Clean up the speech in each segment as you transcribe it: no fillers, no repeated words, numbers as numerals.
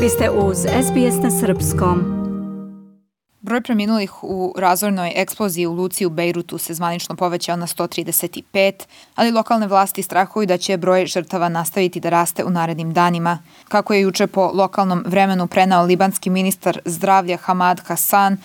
Vi ste uz SBS na srpskom. Broj preminulih u razornoj eksploziji u luci u Bejrutu se zvanično povećao na 135, ali lokalne vlasti strahuju da će broj žrtava nastaviti da raste u narednim danima. Kako je juče po lokalnom vremenu prenao libanski ministar zdravlja Hamad Hassan,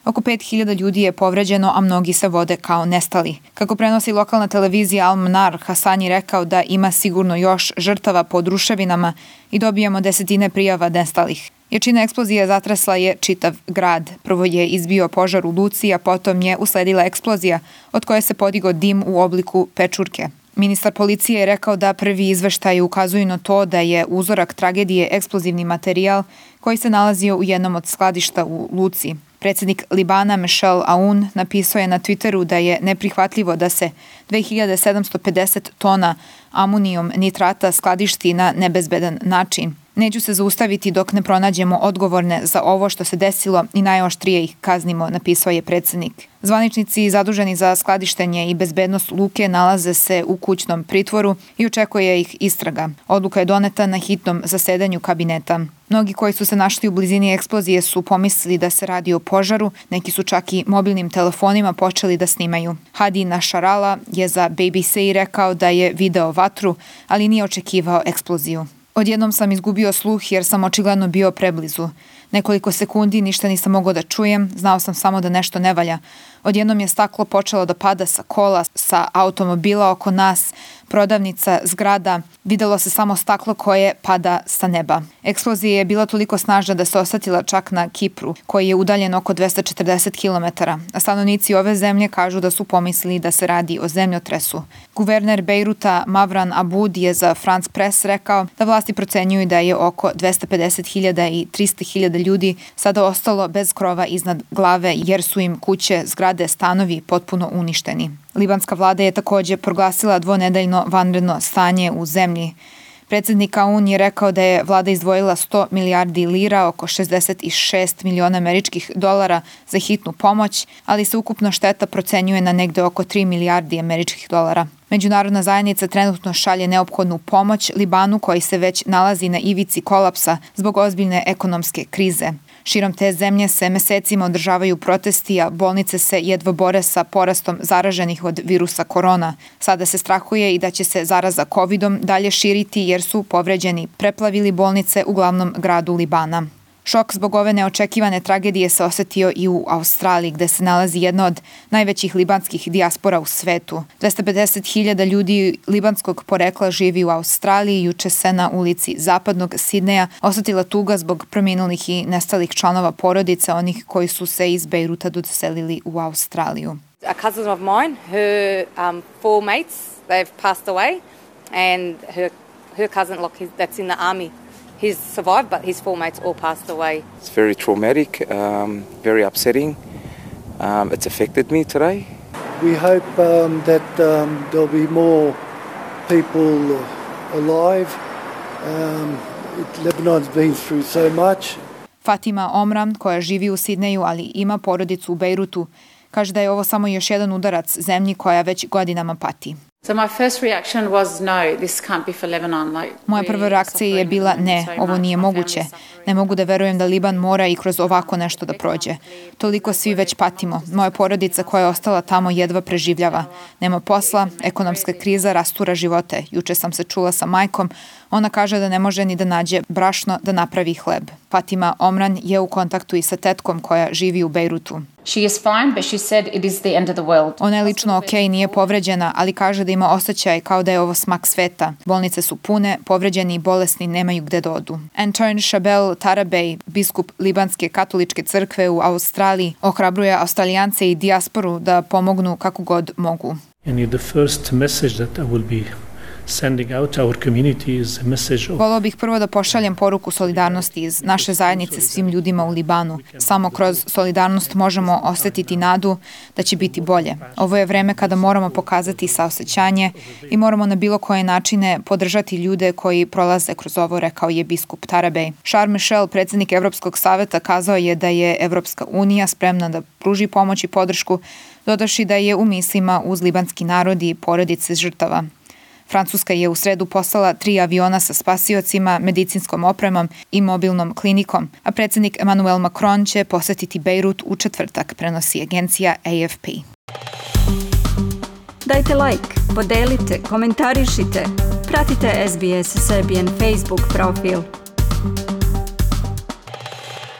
oko 5000 ljudi je povređeno, a mnogi se vode kao nestali. Kako prenosi lokalna televizija Al Manar, Hassan je rekao da ima sigurno još žrtava pod ruševinama i dobijamo desetine prijava nestalih. Jačina eksplozije zatresla je čitav grad. Prvo je izbio požar u luci, a potom je usledila eksplozija od koje se podigao dim u obliku pečurke. Ministar policije je rekao da prvi izveštaji ukazuju na to da je uzorak tragedije eksplozivni materijal koji se nalazio u jednom od skladišta u luci. Predsjednik Libana Michel Aoun napisao je na Twitteru da je neprihvatljivo da se 2750 tona amonijom nitrata skladišti na nebezbedan način. Neću se zaustaviti dok ne pronađemo odgovorne za ovo što se desilo i najoštrije ih kaznimo, napisao je predsjednik. Zvaničnici zaduženi za skladištenje i bezbednost luke nalaze se u kućnom pritvoru i očekuje ih istraga. Odluka je doneta na hitnom zasedanju kabineta. Mnogi koji su se našli u blizini eksplozije su pomislili da se radi o požaru, neki su čak i mobilnim telefonima počeli da snimaju. Hadi Nasrallah je za BBC rekao da je video vatru, ali nije očekivao eksploziju. Odjednom sam izgubio sluh jer sam očigledno bio preblizu. Nekoliko sekundi ništa nisam mogao da čujem, znao sam samo da nešto ne valja. Odjednom je staklo počelo da pada sa kola, sa automobila oko nas, prodavnica, zgrada. Videlo se samo staklo koje pada sa neba. Eksplozija je bila toliko snažna da se osjetila čak na Kipru, koji je udaljen oko 240 km. A stanovnici ove zemlje kažu da su pomislili da se radi o zemljotresu. Guverner Bejruta Mavran Aboud je za France Press rekao da vlasti procenjuju da je oko 250.000 i 300.000 ljudi sada ostalo bez krova iznad glave jer su im kuće, zgrade, stanovi potpuno uništeni. Libanska vlada je također proglasila dvonedeljno vanredno stanje u zemlji. Predsjednik Aoun je rekao da je vlada izdvojila 100 milijardi lira, oko 66 miliona američkih dolara za hitnu pomoć, ali se ukupno šteta procenjuje na negde oko 3 milijardi američkih dolara. Međunarodna zajednica trenutno šalje neophodnu pomoć Libanu koji se već nalazi na ivici kolapsa zbog ozbiljne ekonomske krize. Širom te zemlje se mesecima održavaju protesti, a bolnice se jedva bore sa porastom zaraženih od virusa korona. Sada se strahuje i da će se zaraza covidom dalje širiti jer su povređeni preplavili bolnice u glavnom gradu Libana. Šok zbog ove neočekivane tragedije se osjetio i u Australiji, gde se nalazi jedna od najvećih libanskih dijaspora u svetu. 250.000 ljudi libanskog porekla živi u Australiji. Juče se na ulici zapadnog Sidneja osjetila tuga zbog preminulih i nestalih članova porodice, onih koji su se iz Bejruta doselili u Australiju. A cousin of mine, her four mates, they've passed away, and her cousin, that's in the army. He's survived, but his four mates all passed away. It's very traumatic, very upsetting. It's affected me today. We hope that there'll be more people alive. Lebanon's been through so much. Fatima Omran, koja živi u Sidneju, ali ima porodicu u Bejrutu, kaže da je ovo samo još jedan udarac zemlji koja već godinama pati. So my first reaction was no, this can't be for Lebanon. Moja prva reakcija je bila ne, ovo nije moguće. Ne mogu da verujem da Liban mora i kroz ovako nešto da prođe. Toliko svi već patimo. Moja porodica koja je ostala tamo jedva preživljava. Nema posla, ekonomska kriza rastura živote. Juče sam se čula sa majkom. Ona kaže da ne može ni da nađe brašno da napravi hleb. Fatima Omran je u kontaktu i sa tetkom koja živi u Bejrutu. She is fine, but she said it is the end of the world. Ona je lično okej, nije povređena, ali kaže da ima osjećaj kao da je ovo smak sveta. Bolnice su pune, povređeni i bolesni nemaju gde da odu. Antoine Chabel Tarabej, biskup Libanske katoličke crkve u Australiji, ohrabruje Australijance i dijasporu da pomognu kako god mogu. And the first message that I will be sending out our community is a message of... Voleo bih prvo da pošaljem poruku solidarnosti iz naše zajednice svim ljudima u Libanu. Samo kroz solidarnost možemo osjetiti nadu da će biti bolje. Ovo je vreme kada moramo pokazati saosećanje i moramo na bilo koje načine podržati ljude koji prolaze kroz ovo, rekao je biskup Tarabej. Charles Michel, predsjednik Evropskog saveta, kazao je da je Evropska unija spremna da pruži pomoć i podršku, dodavši da je u mislima uz libanski narod i porodice žrtava. Francuska je u sredu poslala 3 aviona sa spasiocima, medicinskom opremom i mobilnom klinikom, a predsjednik Emmanuel Macron će posetiti Bejrut u četvrtak, prenosi agencija AFP. Dajte like, podelite, komentarišite. Pratite SBS Serbian Facebook profil.